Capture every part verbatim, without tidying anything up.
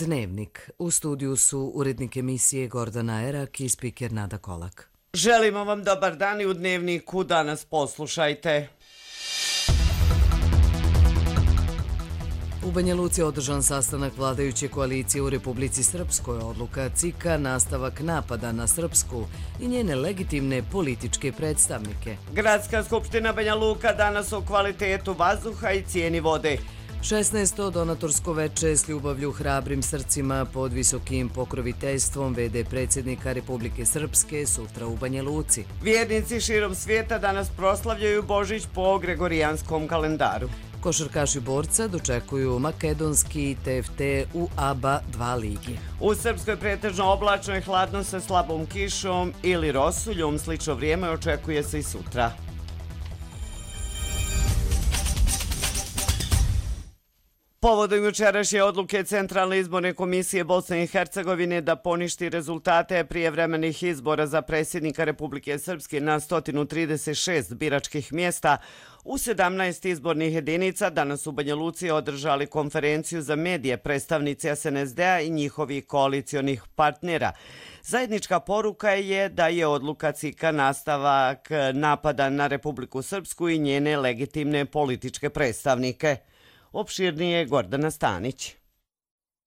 Dnevnik. U studiju su urednik emisije Gordana Erak i spiker Nada Kolak. Želimo vam dobar dan i u Dnevniku danas poslušajte. U Banja Luci je održan sastanak vladajuće koalicije u Republici Srpskoj, odluka C I K-a, nastavak napada na Srpsku i njene legitimne političke predstavnike. Gradska skupština Banja Luka danas o kvalitetu vazduha i cijeni vode. šesnaesto donatorsko veče s ljubavlju hrabrim srcima pod visokim pokroviteljstvom V D predsjednika Republike Srpske sutra u Banja Luci. Vjernici širom svijeta danas proslavljaju Božić po gregorijanskom kalendaru. Košarkaši Borca dočekuju makedonski T F T u A B A dva ligi. U Srpskoj pretežno oblačno i hladno sa slabom kišom ili rosuljom. Slično vrijeme očekuje se i sutra. Povodom jučerašnje odluke Centralne izborne komisije Bosne i Hercegovine da poništi rezultate prijevremenih izbora za predsjednika Republike Srpske na sto trideset šest biračkih mjesta u sedamnaest izbornih jedinica, danas u Banja Luci održali konferenciju za medije predstavnici S N S D-a i njihovih koalicionih partnera. Zajednička poruka je da je odluka C I K-a nastavak napada na Republiku Srpsku i njene legitimne političke predstavnike. Opširnije Gordana Stanić.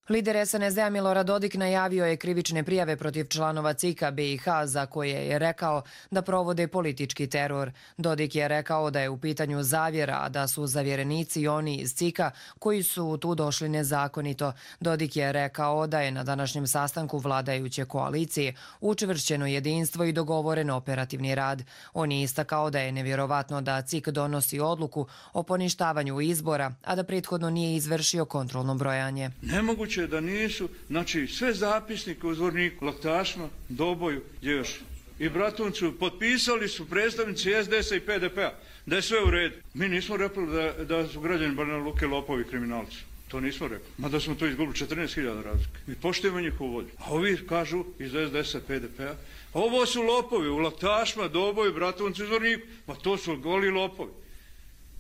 Lider S N S D-a Milorad Dodik najavio je krivične prijave protiv članova C I K-a B i H za koje je rekao da provode politički teror. Dodik je rekao da je u pitanju zavjera, a da su zavjerenici oni iz C I K-a koji su tu došli nezakonito. Dodik je rekao da je na današnjem sastanku vladajuće koalicije učvršćeno jedinstvo i dogovoren operativni rad. On je istakao da je nevjerovatno da C I K donosi odluku o poništavanju izbora, a da prethodno nije izvršio kontrolno brojanje. Nemoguće da nisu, znači sve zapisnike u Zvorniku, Laktašma, Doboju, gdje još i Bratuncu potpisali su predstavnici S D S-a i P D P-a da je sve u redu. Mi nismo rekli da, da su građani Banja Luke lopovi i kriminalci. To nismo rekli. Mada smo to izgubili četrnaest hiljada razlike. Mi poštujemo njihovu volju. A ovi kažu iz S D S-a, P D P-a, ovo su lopovi u Laktašma, Doboju, Bratuncu i Zvorniku. Pa to su goli lopovi.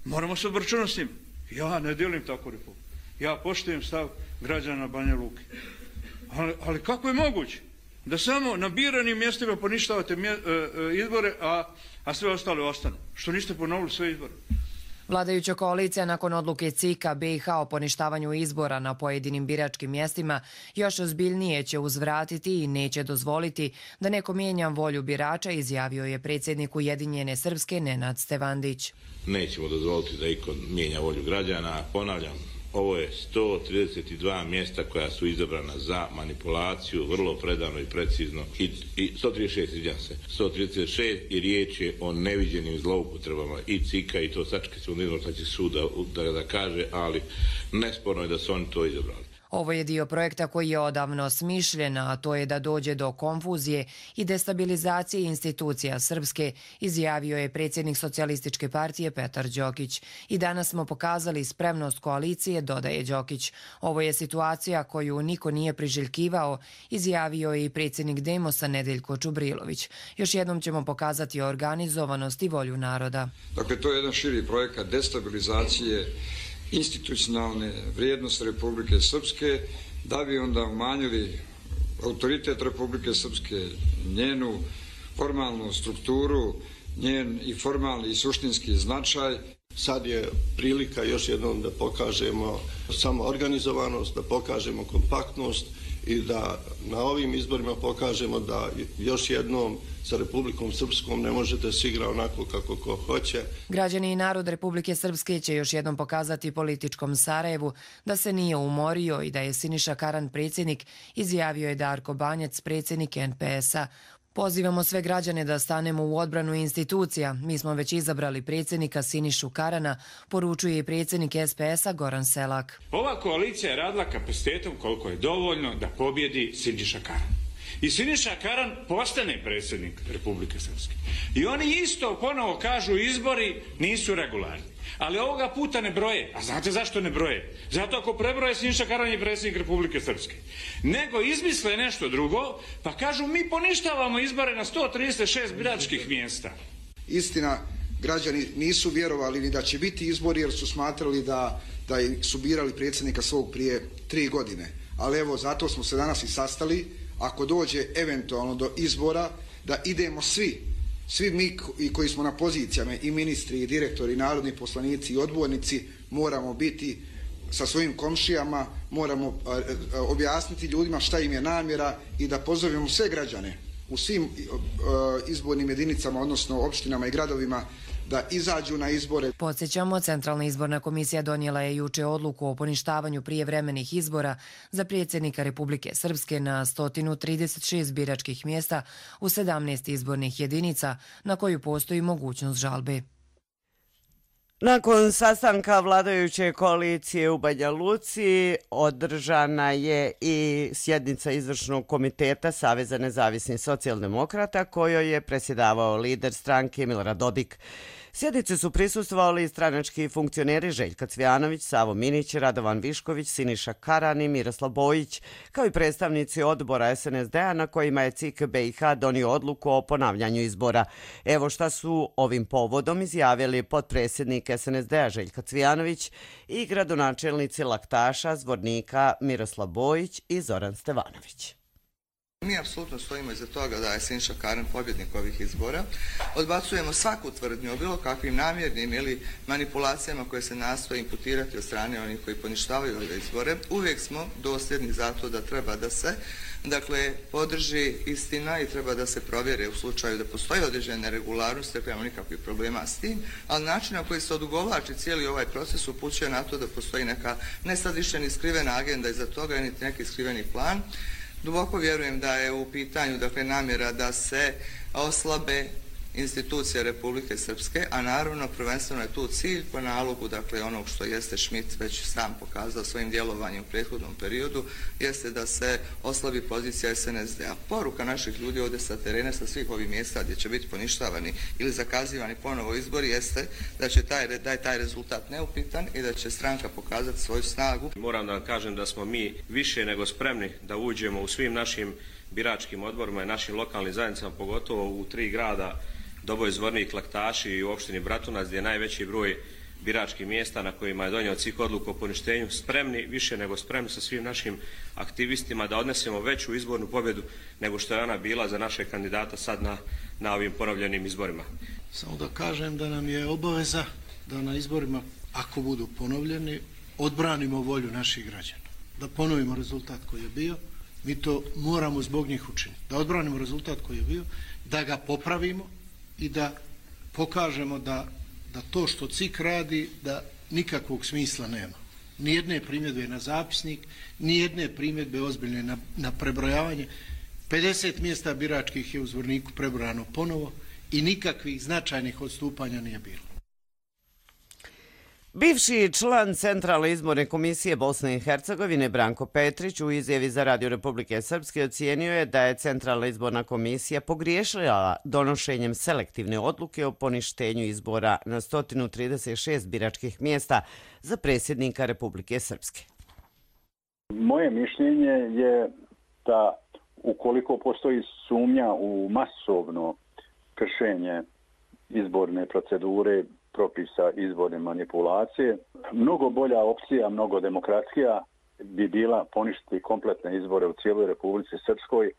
Moramo se obračunati s njim. Ja ne dijelim tako republiku. Ja poštujem stav građana Banja Luke. Ali, ali kako je moguće da samo na biranim mjestima poništavate mje, e, e, izbore, a, a sve ostale ostanu? Što niste ponovili sve izbore? Vladajuća koalicija nakon odluke C I K-a B i H o poništavanju izbora na pojedinim biračkim mjestima još ozbiljnije će uzvratiti i neće dozvoliti da neko mijenja volju birača, izjavio je predsjednik Ujedinjene Srpske Nenad Stevandić. Nećemo dozvoliti da iko mijenja volju građana. Ponavljam, ovo je sto trideset dva mjesta koja su izabrana za manipulaciju, vrlo predano i precizno. I, i sto trideset šest, izvijam se, sto trideset šest i riječ je o neviđenim zloupotrebama i C I K-a i to sačekaj se u izvršajući suda da, da kaže, ali nesporno je da su oni to izabrali. Ovo je dio projekta koji je odavno smišljen, a to je da dođe do konfuzije i destabilizacije institucija Srpske, izjavio je predsjednik Socijalističke partije Petar Đokić. I danas smo pokazali spremnost koalicije, dodaje Đokić. Ovo je situacija koju niko nije priželjkivao, izjavio je i predsjednik Demosa Nedeljko Čubrilović. Još jednom ćemo pokazati organizovanost i volju naroda. Dakle, to je jedan širi projekat destabilizacije institucionalne vrijednosti Republike Srpske, da bi onda umanjili autoritet Republike Srpske, njenu formalnu strukturu, njen i formalni i suštinski značaj. Sad je prilika još jednom da pokažemo samo organizovanost, da pokažemo kompaktnost i da na ovim izborima pokažemo da još jednom sa Republikom Srpskom ne možete se igra onako kako ko hoće. Građani i narod Republike Srpske će još jednom pokazati političkom Sarajevu da se nije umorio i da je Siniša Karan predsjednik, izjavio je Darko Banjac, predsjednik N P S-a. Pozivamo sve građane da stanemo u odbranu institucija. Mi smo već izabrali predsjednika Sinišu Karana, poručuje i predsjednik S P S-a Goran Selak. Ova koalicija je radila kapacitetom koliko je dovoljno da pobjedi Siniša Karan. I Siniša Karan postane predsjednik Republike Srpske. I oni isto ponovo kažu izbori nisu regularni. Ali ovoga puta ne broje. A znate zašto ne broje? Zato ako prebroje, Siniša Karan je predsjednik Republike Srpske. Nego izmisle nešto drugo, pa kažu mi poništavamo izbore na sto trideset šest biračkih mjesta. Istina, građani nisu vjerovali ni da će biti izbori jer su smatrali da, da su birali predsjednika svog prije tri godine. ali evo zato smo se danas i sastali, ako dođe eventualno do izbora, da idemo svi, svi mi koji smo na pozicijama, i ministri, i direktori, i narodni poslanici, i odbornici, moramo biti sa svojim komšijama, moramo objasniti ljudima šta im je namjera i da pozovemo sve građane u svim izbornim jedinicama, odnosno opštinama i gradovima, da izađu na izbore. Podsjećamo, Centralna izborna komisija donijela je juče odluku o poništavanju prijevremenih izbora za predsjednika Republike Srpske na sto trideset šest biračkih mjesta u sedamnaest izbornih jedinica na koju postoji mogućnost žalbe. Nakon sastanka vladajuće koalicije u Banja Luci održana je i sjednica izvršnog komiteta Saveza nezavisnih socijaldemokrata kojoj je predsjedavao lider stranke Milorad Dodik. Sjednici su prisustvovali stranački funkcioneri Željka Cvijanović, Savo Minić, Radovan Višković, Siniša Karan i Miroslav Bojić, kao i predstavnici odbora S N S D-a na kojima je C I K B i H donio odluku o ponavljanju izbora. Evo šta su ovim povodom izjavili potpredsjednik S N S D-a Željka Cvijanović i gradonačelnici Laktaša, Zvornika Miroslav Bojić i Zoran Stevanović. Mi apsolutno stojimo iza toga da je Siniša Karan pobjednik ovih izbora. Odbacujemo svaku tvrdnju o bilo kakvim namjernim ili manipulacijama koje se nastoje imputirati od strane onih koji poništavaju ove izbore. Uvijek smo dosljedni za to da treba da se dakle, podrži istina i treba da se provjere u slučaju da postoji određene neregularnosti, nemamo nikakvih problema s tim, ali način na koji se odugovlači cijeli ovaj proces upućuje na to da postoji neka nesadišna ni skrivena agenda iza toga, niti neki skriveni plan. Duboko vjerujem da je u pitanju dakle, namjera da se oslabe institucije Republike Srpske, a naravno prvenstveno je tu cilj po nalogu dakle, onog što jeste Schmidt već sam pokazao svojim djelovanjem u prethodnom periodu, jeste da se oslabi pozicija S N S D-a. Poruka naših ljudi ovdje sa terena, sa svih ovih mjesta gdje će biti poništavani ili zakazivani ponovo izbori, jeste da će taj, da je taj rezultat neupitan i da će stranka pokazati svoju snagu. Moram da vam kažem da smo mi više nego spremni da uđemo u svim našim biračkim odborima i našim lokalnim zajednicama, pogotovo u tri grada Doboj, Zvornik, Laktaši i u opštini Bratunac, gdje je najveći broj biračkih mjesta na kojima je donio C I K odluku o poništenju, spremni, više nego spremni sa svim našim aktivistima da odnesemo veću izbornu pobjedu nego što je ona bila za naše kandidata sad na, na ovim ponovljenim izborima. Samo da kažem da nam je obaveza da na izborima, ako budu ponovljeni, odbranimo volju naših građana. Da ponovimo rezultat koji je bio, mi to moramo zbog njih učiniti. Da odbranimo rezultat koji je bio, da ga popravimo i da pokažemo da, da to što C I K radi, da nikakvog smisla nema. Nijedne primjedbe na zapisnik, nijedne primjedbe ozbiljne na, na prebrojavanje. pedeset mjesta biračkih je u Zvorniku prebrojano ponovo i nikakvih značajnih odstupanja nije bilo. Bivši član Centralne izborne komisije Bosne i Hercegovine Branko Petrić u izjavi za Radio Republike Srpske ocijenio je da je Centralna izborna komisija pogriješila donošenjem selektivne odluke o poništenju izbora na sto trideset šest biračkih mjesta za predsjednika Republike Srpske. Moje mišljenje je da ukoliko postoji sumnja u masovno kršenje izborne procedure, propisa izborne manipulacije, mnogo bolja opcija, mnogo demokratskija bi bila poništiti kompletne izbore u cijeloj Republici Srpskoj,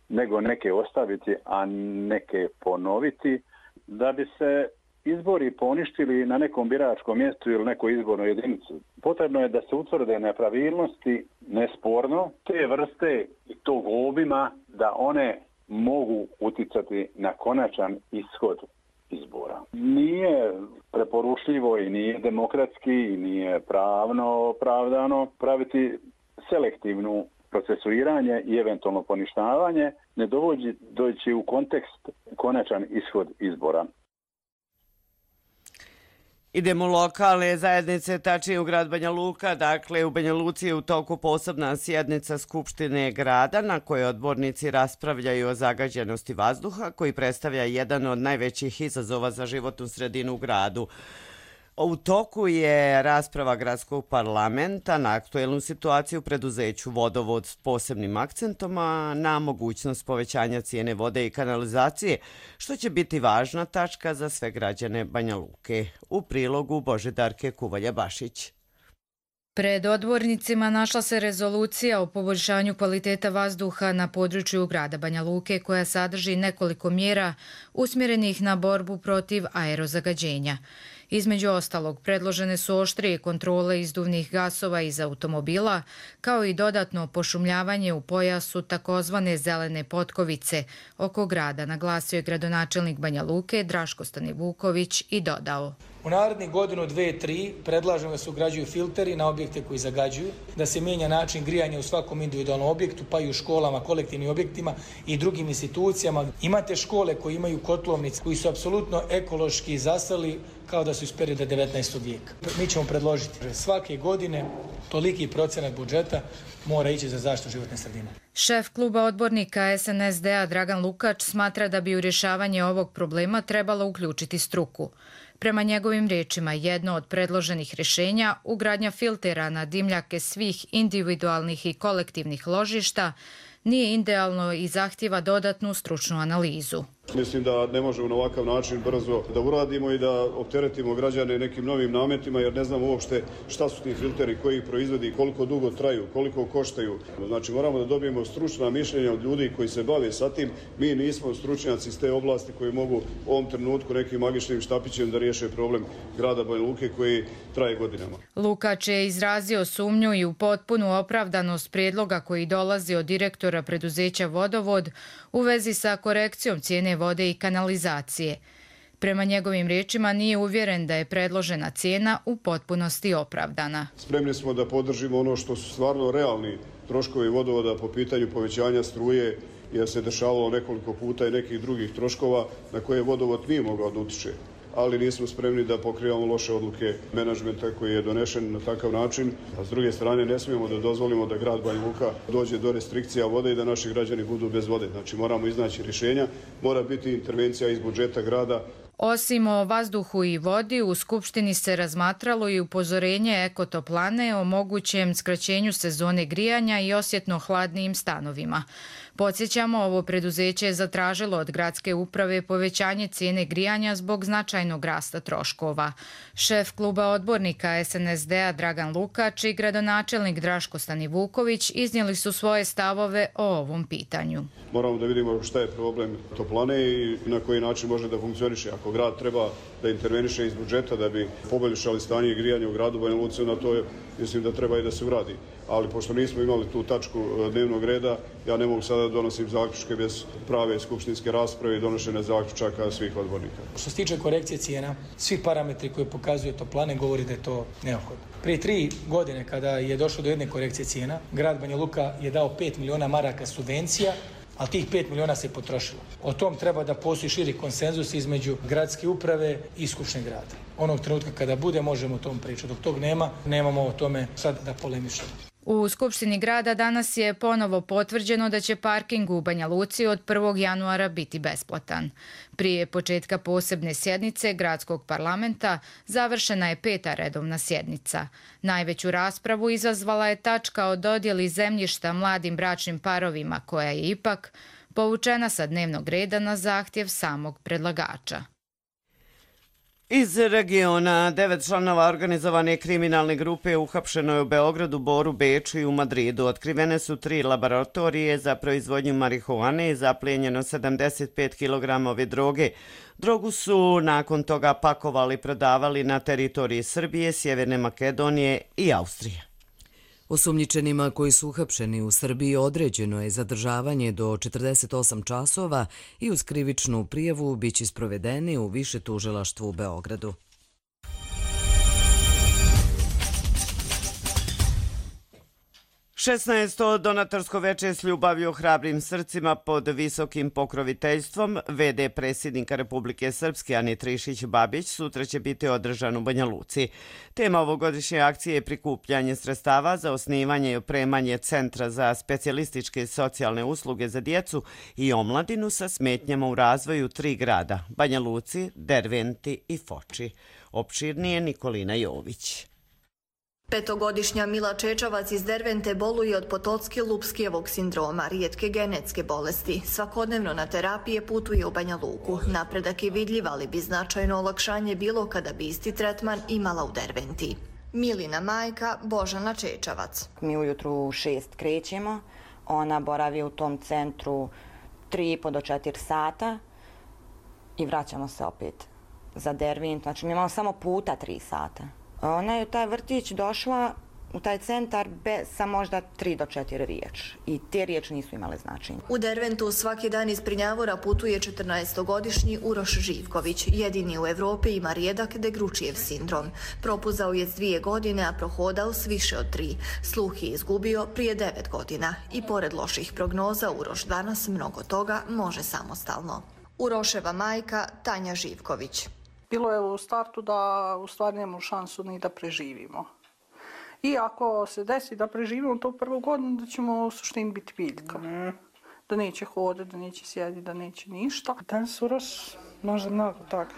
nego neke ostaviti, a neke ponoviti, da bi se izbori poništili na nekom biračkom mjestu ili nekoj izbornoj jedinici. Potrebno je da se utvrde nepravilnosti, nesporno, te vrste i tog obima da one mogu uticati na konačan ishod izbora. Nije preporučljivo i nije demokratski i nije pravno opravdano praviti selektivnu procesuiranje i eventualno poništavanje, ne dovođi u kontekst konačan ishod izbora. Idemo u lokalne zajednice, tačnije u grad Banja Luka. Dakle, u Banja Luci je u toku posebna sjednica Skupštine grada na kojoj odbornici raspravljaju o zagađenosti vazduha koji predstavlja jedan od najvećih izazova za životnu sredinu u gradu. U toku je rasprava gradskog parlamenta na aktuelnu situaciju u preduzeću Vodovod s posebnim akcentom na mogućnost povećanja cijene vode i kanalizacije, što će biti važna tačka za sve građane Banja Luke. U prilogu Božidarke Kuvalja-Bašić. Pred odbornicima našla se rezolucija o poboljšanju kvaliteta vazduha na području grada Banja Luke koja sadrži nekoliko mjera usmjerenih na borbu protiv aerozagađenja. Između ostalog, predložene su oštrije kontrole izduvnih gasova iz automobila, kao i dodatno pošumljavanje u pojasu takozvane zelene potkovice oko grada, naglasio je gradonačelnik Banja Luke Draško Stanivuković i dodao. U narednih godinu, dve, tri predlažemo da se ugrađuju filteri na objekte koji zagađuju, da se mijenja način grijanja u svakom individualnom objektu, pa i u školama, kolektivnim objektima i drugim institucijama. Imate škole koji imaju kotlovnice, koji su apsolutno ekološki zastali kao da su iz perioda devetnaestog vijeka. Mi ćemo predložiti svake godine toliki procenat budžeta mora ići za zaštitu životne sredine. Šef kluba odbornika S N S D-a Dragan Lukač smatra da bi u rješavanje ovog problema trebalo uključiti struku. Prema njegovim riječima, jedno od predloženih rješenja, ugradnja filtera na dimljake svih individualnih i kolektivnih ložišta, nije idealno i zahtjeva dodatnu stručnu analizu. Mislim da ne možemo na ovakav način brzo da uradimo i da opteretimo građane nekim novim nametima jer ne znamo uopšte šta su ti filteri, koji ih proizvodi, koliko dugo traju, koliko koštaju. Znači moramo da dobijemo stručna mišljenja od ljudi koji se bave sa tim. Mi nismo stručnjaci iz te oblasti koji mogu u ovom trenutku nekim magičnim štapićem da riješe problem grada Banja Luke koji traje godinama. Lukač je izrazio sumnju i u potpunu opravdanost prijedloga koji dolazi od direktora preduzeća Vodovod u vezi sa korekcijom cijene vode i kanalizacije. Prema njegovim riječima nije uvjeren da je predložena cijena u potpunosti opravdana. Spremni smo da podržimo ono što su stvarno realni troškovi vodovoda po pitanju povećanja struje jer se dešavalo nekoliko puta i nekih drugih troškova na koje vodovod nije mogao da utiče. Ali nismo spremni da pokrivamo loše odluke menadžmenta koji je donešen na takav način. A s druge strane ne smijemo da dozvolimo da grad Banja Luka dođe do restrikcija vode i da naši građani budu bez vode. Znači moramo iznaći rješenja, mora biti intervencija iz budžeta grada. Osim o vazduhu i vodi, u Skupštini se razmatralo i upozorenje Ekotoplane o mogućem skraćenju sezone grijanja i osjetno hladnijim stanovima. Podsjećamo, ovo preduzeće je zatražilo od gradske uprave povećanje cijene grijanja zbog značajnog rasta troškova. Šef kluba odbornika S N S D-a Dragan Lukač i gradonačelnik Draško Stanivuković iznijeli su svoje stavove o ovom pitanju. Moramo da vidimo šta je problem toplane i na koji način može da funkcioniše. Ako grad treba da interveniše iz budžeta da bi poboljšali stanje grijanja u gradu Banja Luci, na to je, mislim da treba i da se uradi. Ali pošto nismo imali tu tačku dnevnog reda, ja ne mogu sada da donosim zaključke bez prave skupštinske rasprave i donošenja zaključaka svih odbornika. Što se tiče korekcije cijena, svi parametri koje pokazuje toplane govori da je to neophodno. Prije tri godine kada je došlo do jedne korekcije cijena, grad Banja Luka je dao pet miliona maraka subvencija, ali tih pet miliona se potrošilo. O tom treba da postoji širi konsenzus između gradske uprave i Skupštine grada. Onog trenutka kada bude, možemo o tom pričati. Dok tog nema, nemamo o tome sad da polemišemo. U Skupštini grada danas je ponovo potvrđeno da će parking u Banja Luci od prvog januara biti besplatan. Prije početka posebne sjednice Gradskog parlamenta završena je peta redovna sjednica. Najveću raspravu izazvala je tačka o dodjeli zemljišta mladim bračnim parovima, koja je ipak povučena sa dnevnog reda na zahtjev samog predlagača. Iz regiona devet članova organizovane kriminalne grupe uhapšeno je u Beogradu, Boru, Beču i u Madridu. Otkrivene su tri laboratorije za proizvodnju marihuane i zaplijenjeno sedamdeset pet kilograma ove droge. Drogu su nakon toga pakovali i prodavali na teritoriji Srbije, Sjeverne Makedonije i Austrije. Osumnjičenima koji su uhapšeni u Srbiji određeno je zadržavanje do četrdeset osam časova i uz krivičnu prijavu biće sprovedeni u više tužilaštvu u Beogradu. šesnaesto donatorsko veče s ljubavlju hrabrim srcima pod visokim pokroviteljstvom ve de predsjednika Republike Srpske Ane Trišić-Babić sutra će biti održan u Banja Luci. Tema ovogodišnje akcije je prikupljanje sredstava za osnivanje i opremanje Centra za specijalističke socijalne usluge za djecu i omladinu sa smetnjama u razvoju tri grada – Banja Luci, Derventi i Foči. Opširnije Nikolina Jović. Petogodišnja Mila Čečavac iz Dervente boluje od Potocki-Lupskijevog sindroma, rijetke genetske bolesti. Svakodnevno na terapije putuje u Banja Luku. Napredak je vidljiv, ali bi značajno olakšanje bilo kada bi isti tretman imala u Derventi. Milina majka Božana Čečavac. Mi ujutru u šest krećemo, ona boravi u tom centru tri i po do četiri sata i vraćamo se opet za Dervent, znači mi imamo samo puta tri sata. Ona je u taj vrtić došla u taj centar bez sa možda tri do četiri riječi i te riječi nisu imale značenja. U Derventu svaki dan iz Prnjavora putuje četrnaestogodišnji Uroš Živković. Jedini u Evropi ima rijedak Degručijev sindrom. Propuzao je s dvije godine, a prohodao s više od tri. Sluh je izgubio prije devet godina i pored loših prognoza Uroš danas mnogo toga može samostalno. Uroševa majka Tanja Živković. Bilo je u startu da u stvari nemamo šansu ni da preživimo. I ako se desi da preživimo to prvu godinu, da ćemo u suštini biti biljka. Mm. Da neće hodati, da neće sjediti, da neće ništa. Danas Uroš može mnogo toga.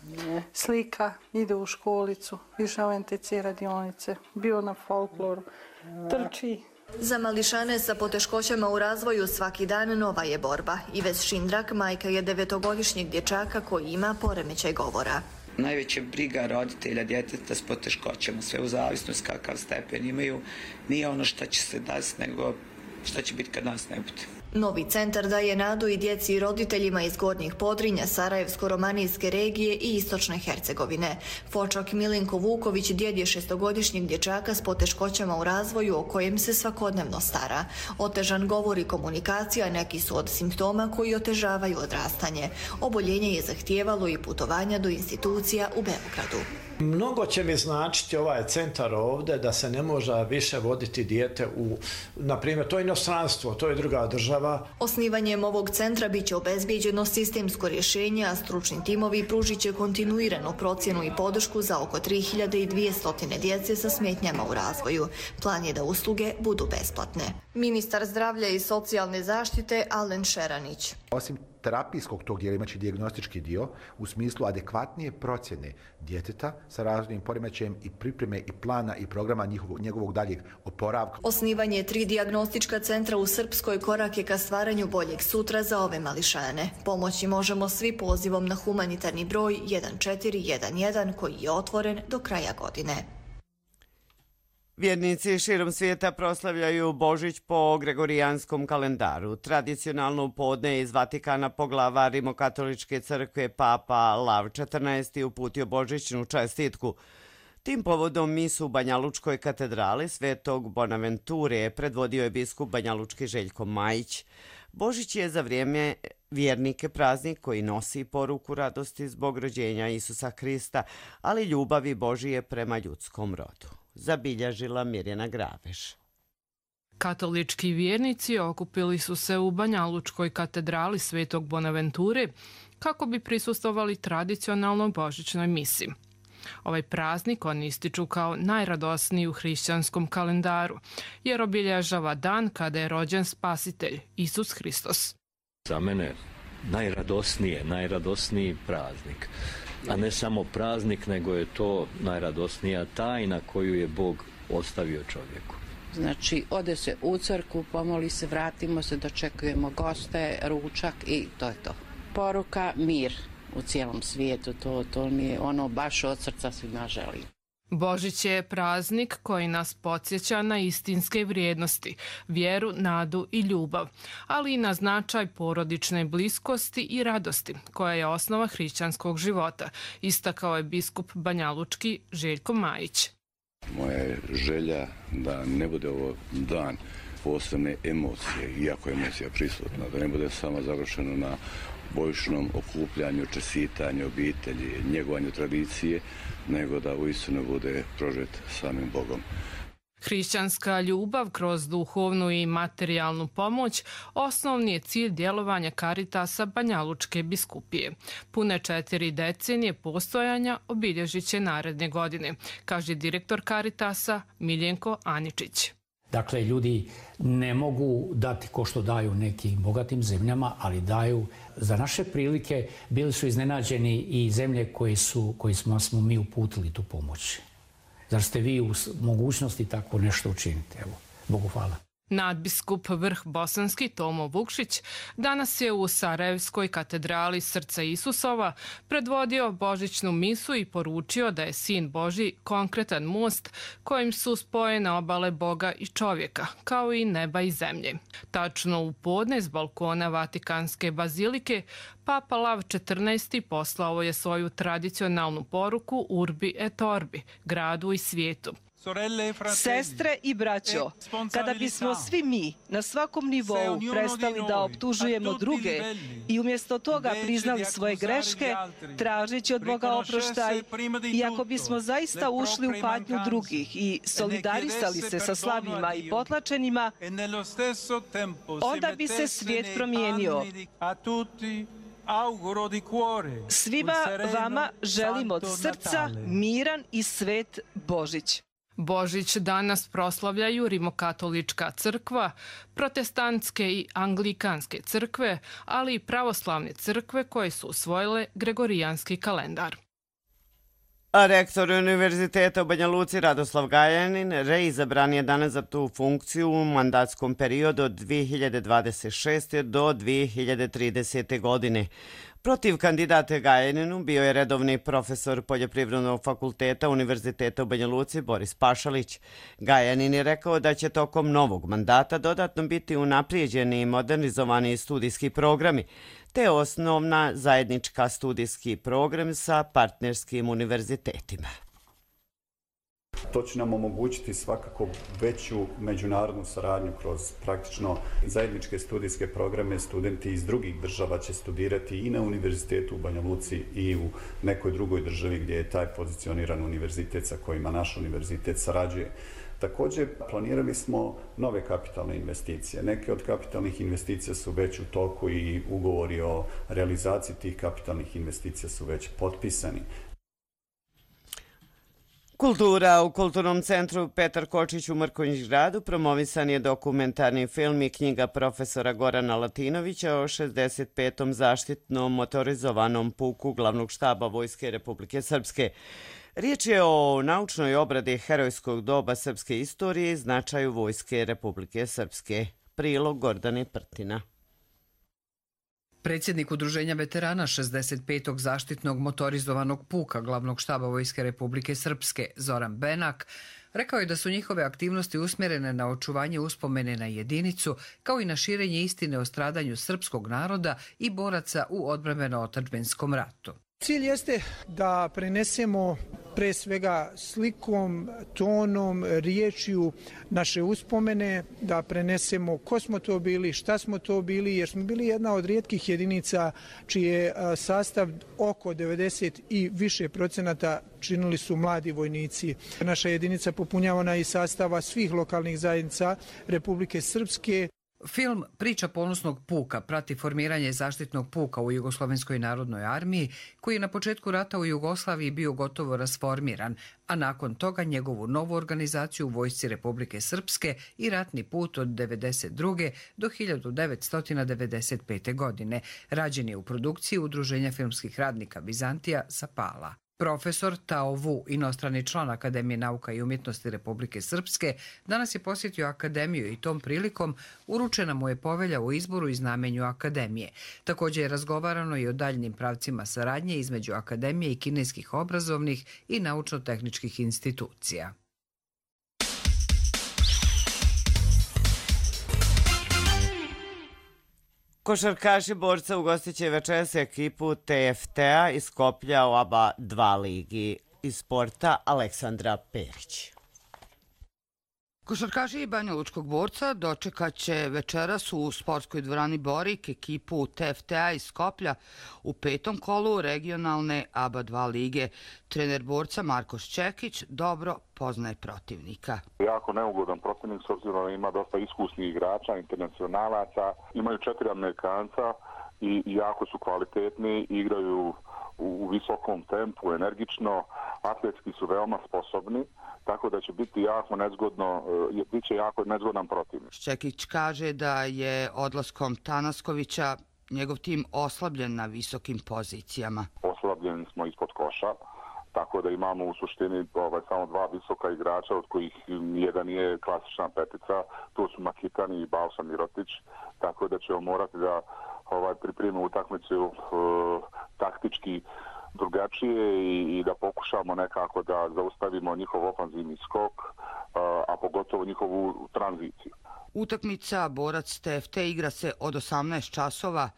Mm. Slika, ide u školicu, više u en te ce radionice, bio na folkloru, mm. trči. Za mališane sa poteškoćama u razvoju svaki dan nova je borba. Ives Šindrak, majka je devetogodišnjeg dječaka koji ima poremećaj govora. Najveća briga roditelja djeteta s poteškoćama, sve u zavisnosti kakav stepen imaju, nije ono što će se desiti, nego što će biti kad nas ne bude. Novi centar daje nadu i djeci i roditeljima iz Gornjih Podrinja, Sarajevsko-romanijske regije i Istočne Hercegovine. Fočak Milinko Vuković djed je šestogodišnjeg dječaka s poteškoćama u razvoju o kojem se svakodnevno stara. Otežan govor i komunikacija neki su od simptoma koji otežavaju odrastanje. Oboljenje je zahtijevalo i putovanja do institucija u Beogradu. Mnogo će mi značiti ovaj centar ovdje da se ne može više voditi dijete u, na primjer, to je inostranstvo, to je druga država. Osnivanjem ovog centra bit će obezbijeđeno sistemsko rješenje, a stručni timovi pružit će kontinuiranu procjenu i podršku za oko tri hiljade dvjesto djece sa smetnjama u razvoju. Plan je da usluge budu besplatne. Ministar zdravlja i socijalne zaštite Alen Šeranić. Osim terapijskog tog dijela imaće dijagnostički dio u smislu adekvatnije procjene djeteta sa razvojnim poremećajem i pripreme i plana i programa njihovog, njegovog daljeg oporavka. Osnivanje tri dijagnostička centra u Srpskoj korak je ka stvaranju boljeg sutra za ove mališane. Pomoći možemo svi pozivom na humanitarni broj jedan četiri jedan jedan koji je otvoren do kraja godine. Vjernici širom svijeta proslavljaju Božić po gregorijanskom kalendaru. Tradicionalno u podne iz Vatikana poglavar Rimokatoličke crkve Papa Lav četrnaesti uputio božićnu čestitku. Tim povodom misu u Banjalučkoj katedrali Svetog Bonaventure predvodio je biskup banjalučki Željko Majić. Božić je za vrijeme vjernike praznik koji nosi poruku radosti zbog rođenja Isusa Hrista, ali ljubavi Božije prema ljudskom rodu. Zabilježila Mirjana Graveš. Katolički vjernici okupili su se u Banjalučkoj katedrali Svetog Bonaventure kako bi prisustvovali tradicionalnoj božićnoj misi. Ovaj praznik oni ističu kao najradosniji u hrišćanskom kalendaru, jer obilježava dan kada je rođen Spasitelj, Isus Hristos. Za mene najradosnije, najradosniji praznik. A ne samo praznik, nego je to najradosnija tajna koju je Bog ostavio čovjeku. Znači, ode se u crkvu, pomoli se, vratimo se, dočekujemo goste, ručak i to je to. Poruka mir u cijelom svijetu, to, to mi je ono baš od srca svima želim. Božić je praznik koji nas podsjeća na istinske vrijednosti, vjeru, nadu i ljubav, ali i na značaj porodične bliskosti i radosti, koja je osnova hrišćanskog života, istakao je biskup banjalučki Željko Majić. Moja je želja da ne bude ovo dan posebne emocije, iako je emocija prisutna, da ne bude samo završeno na božićnom okupljanju, čestitanju obitelji, njegovanju tradicije, nego da uistinu bude prožet samim Bogom. Hrišćanska ljubav kroz duhovnu i materijalnu pomoć osnovni je cilj djelovanja Karitasa Banjalučke biskupije. Pune četiri decenije postojanja obilježit će naredne godine, kaže direktor Karitasa Miljenko Aničić. Dakle, ljudi ne mogu dati ko što daju nekim bogatim zemljama, ali daju za naše prilike. Bili su iznenađeni i zemlje koje su, koji smo, smo mi uputili tu pomoć. Zar ste vi u mogućnosti tako nešto učiniti? Evo, Bogu hvala. Nadbiskup Vrh Bosanski Tomo Vukšić danas je u Sarajevskoj katedrali Srca Isusova predvodio božićnu misu i poručio da je Sin Božji konkretan most kojim su spojene obale Boga i čovjeka, kao i neba i zemlje. Tačno u podne s balkona Vatikanske bazilike Papa Lav četrnaesti poslao je svoju tradicionalnu poruku Urbi et Orbi, gradu i svijetu. Sestre i braćo, kada bismo svi mi na svakom nivou prestali da optužujemo druge i umjesto toga priznali svoje greške, tražeći od Boga oproštaj, i ako bismo zaista ušli u patnju drugih i solidarisali se sa slabima i potlačenima, onda bi se svijet promijenio. Svima vama želim od srca miran i svet Božić. Božić danas proslavljaju Rimokatolička crkva, protestantske i anglikanske crkve, ali i pravoslavne crkve koje su usvojile Gregorijanski kalendar. A rektor Univerziteta u Banja Luci Radoslav Gajanin reizabran je danas za tu funkciju u mandatskom periodu od dvije hiljade dvadeset šeste. do dvije hiljade tridesete. godine. Protiv kandidata Gajaninu bio je redovni profesor Poljoprivrednog fakulteta Univerziteta u Banja Luci Boris Pašalić. Gajanin je rekao da će tokom novog mandata dodatno biti unaprijeđeni i modernizovani studijski programi, te osnovna zajednička studijski program sa partnerskim univerzitetima. To će nam omogućiti svakako veću međunarodnu saradnju kroz praktično zajedničke studijske programe. Studenti iz drugih država će studirati i na univerzitetu u Banja Luci i u nekoj drugoj državi gdje je taj pozicioniran univerzitet sa kojima naš univerzitet sarađuje. Također planirali smo nove kapitalne investicije. Neke od kapitalnih investicija su već u toku i ugovori o realizaciji tih kapitalnih investicija su već potpisani. Kultura. U Kulturnom centru Petar Kočić u Mrkonjić gradu promovisan je dokumentarni film i knjiga profesora Gorana Latinovića o šezdeset petom zaštitnom motorizovanom puku Glavnog štaba Vojske Republike Srpske. Riječ je o naučnoj obradi herojskog doba srpske istorije i značaju Vojske Republike Srpske. Prilog Gordane Prtina. Predsjednik Udruženja veterana šezdeset petog zaštitnog motorizovanog puka Glavnog štaba Vojske Republike Srpske Zoran Benak rekao je da su njihove aktivnosti usmjerene na očuvanje uspomene na jedinicu, kao i na širenje istine o stradanju srpskog naroda i boraca u odbrambeno-otadžbinskom ratu. Cilj jeste da prenesemo pre svega slikom, tonom, riječju naše uspomene, da prenesemo ko smo to bili, šta smo to bili, jer smo bili jedna od rijetkih jedinica čije sastav oko devedeset i više procenata činili su mladi vojnici. Naša jedinica popunjavana iz sastava svih lokalnih zajednica Republike Srpske. Film Priča ponosnog puka prati formiranje zaštitnog puka u Jugoslovenskoj narodnoj armiji, koji je na početku rata u Jugoslaviji bio gotovo rasformiran, a nakon toga njegovu novu organizaciju u Vojsci Republike Srpske i ratni put od devedeset druge. do hiljadu devetsto devedeset pete. godine. Rađen je u produkciji Udruženja filmskih radnika Bizantija sa Pala. Profesor Tao Vu, inostrani član Akademije nauka i umjetnosti Republike Srpske, danas je posjetio Akademiju i tom prilikom uručena mu je povelja o izboru i znamenju Akademije. Također je razgovarano i o daljnim pravcima saradnje između Akademije i kineskih obrazovnih i naučno-tehničkih institucija. Košarkaši borca ugostit će večeras ekipu T F T-a iz Skoplja u A B A dva ligi. Iz sporta Aleksandra Perić. Košarkaši Banja Lučkog borca dočekat će večeras u sportskoj dvorani Borik ekipu T F T-a iz Skoplja u petom kolu regionalne A B A dva lige. Trener borca Marko Šćekić dobro poznaje protivnika. Jako neugodan protivnik s obzirom da ima dosta iskusnih igrača, internacionalaca. Imaju četiri Amerikanca i jako su kvalitetni, igraju u visokom tempu, energično, atletski su veoma sposobni, tako da će biti jako nezgodno, bit će jako nezgodan protivnik. Šćekić kaže da je odlaskom Tanaskovića njegov tim oslabljen na visokim pozicijama. Oslabljeni smo ispod koša tako da imamo u suštini ovaj, samo dva visoka igrača, od kojih jedan je klasična petica, to su Makitani i Balša Mirotić, tako da ćemo morati da ovaj, pripremimo utakmicu uh, taktički drugačije i, i da pokušamo nekako da zaustavimo njihov ofanzivni skok, a pogotovo njihovu tranziciju. Utakmica Borac T F T igra se od osamnaest časova.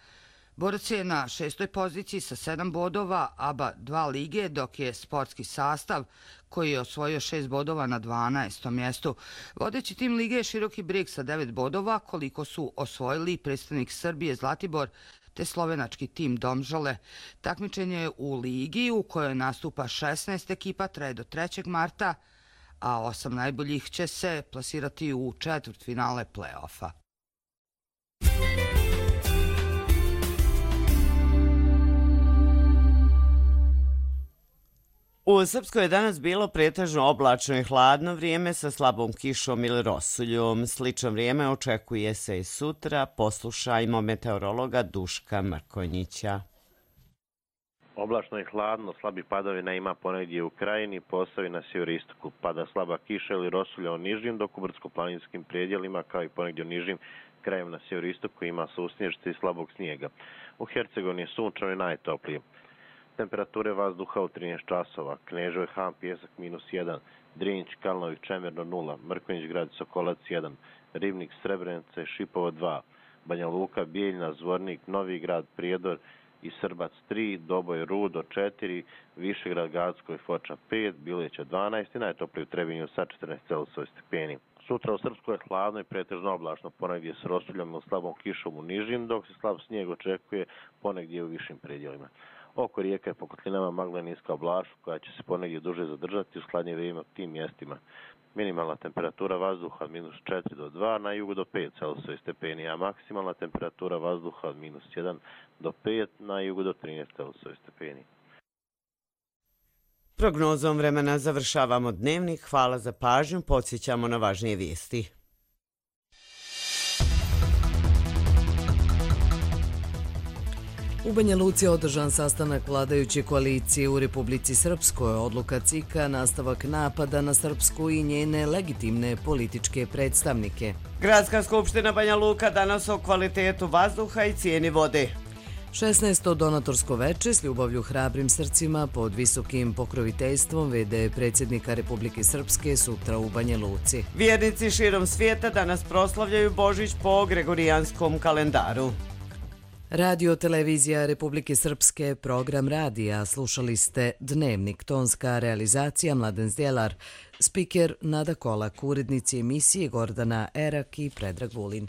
Borac je na šestoj poziciji sa sedam bodova A B A dva lige, dok je sportski sastav koji je osvojio šest bodova na dvanaestom mjestu. Vodeći tim lige je Široki Brijeg sa devet bodova, koliko su osvojili predstavnik Srbije Zlatibor te slovenački tim Domžale. Takmičenje u ligi u kojoj nastupa šesnaest ekipa traje do trećeg marta, a osam najboljih će se plasirati u četvrtfinale play-offa. U Srpskoj je danas bilo pretežno oblačno i hladno vrijeme sa slabom kišom ili rosuljom. Slično vrijeme očekuje se i sutra. Poslušajmo meteorologa Duška Mrkonjića. Oblačno i hladno, slabi padavina ima ponegdje u Krajini, Posavini, na sjeveristoku. Pada slaba kiša ili rosulja u nižim, dok u brdsko-planinskim predjelima, kao i ponegdje u nižim krajima na sjeveristoku, ima susnježice i slabog snijega. U Hercegovini je sunčano i najtoplije. Temperature vazduha u trinaest časova. Kneževo Han, Pjesak minus jedan, Drinć, Kalnović, Čemerno nula, Mrkonjić grad, Sokolac jedan, Ribnik, Srebrenice, Šipovo dva, Banja Luka, Bijeljna, Zvornik, Novi grad, Prijedor i Srbac tri, Doboj, Rudo četiri, Višegrad, Gacko i Foča pet, Bileća dvanaest i najtoplije u Trebinju sa četrnaest celzijusovih stepeni. Sutra u Srpskoj je hladno i pretežno oblačno, ponegdje s rosuljom ili slabom kišom u nižim, dok se slab snijeg očekuje ponegdje u višim predjelima. Oko rijeka je po kotlinama magla niska oblačnost koja će se ponegdje duže zadržati u hladnije vrijeme u tim mjestima. Minimalna temperatura vazduha od minus četiri do dva, na jugu do pet celzijusovih stepeni, a maksimalna temperatura vazduha od minus jedan do pet, na jugu do trinaest celzijusovih stepeni. Prognozom vremena završavamo dnevnik. Hvala za pažnju. Podsjećamo na važnije vijesti. U Banja Luci je održan sastanak vladajuće koalicije u Republici Srpskoj. Odluka C I K-a nastavak napada na Srpsku i njene legitimne političke predstavnike. Gradska skupština Banja Luka danas o kvalitetu vazduha i cijeni vode. šesnaesto donatorsko veče s ljubavlju hrabrim srcima pod visokim pokroviteljstvom V D predsjednika Republike Srpske sutra u Banja Luci. Vjernici širom svijeta danas proslavljaju Božić po gregorijanskom kalendaru. Radio televizija Republike Srpske, program radija. Slušali ste Dnevnik, tonska realizacija Mladen Zdjelar, spiker Nada Kolak, urednici emisije Gordana Erak i Predrag Vulin.